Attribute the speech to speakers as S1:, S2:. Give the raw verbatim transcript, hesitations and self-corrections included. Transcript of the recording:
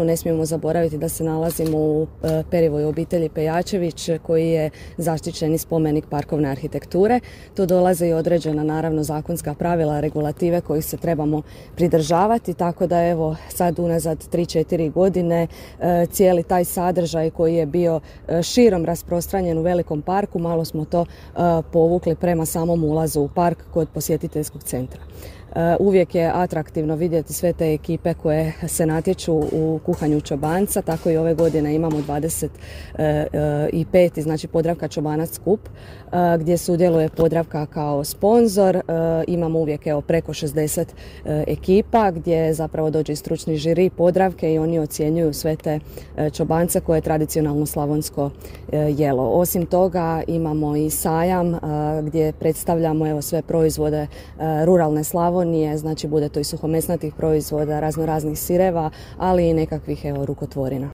S1: Ne smijemo zaboraviti da se nalazimo u Perivoj obitelji Pejačević koji je zaštićeni spomenik parkovne arhitekture. Tu dolaze i određena naravno zakonska pravila, regulative kojih se trebamo pridržavati, tako da evo sad unazad tri četiri godine cijeli taj sadržaj koji je bio širom rasprostranjen u velikom parku, malo smo to povukli prema samom ulazu u park kod posjetiteljskog centra. Uvijek je atraktivno vidjeti sve te ekipe koje se natječu u kuhanju čobanca, tako i ove godine imamo dvadeset peti znači Podravka Čobanac skup gdje sudjeluje Podravka kao sponzor. Imamo uvijek evo preko šezdeset ekipa gdje zapravo dođe i stručni žiri Podravke i oni ocjenjuju sve te čobance koje je tradicionalno slavonsko jelo. Osim toga imamo i sajam gdje predstavljamo evo sve proizvode ruralne Slavonije, znači bude to i suhomesnatih proizvoda, razno raznih sireva, ali i nekakvih evo rukotvorina.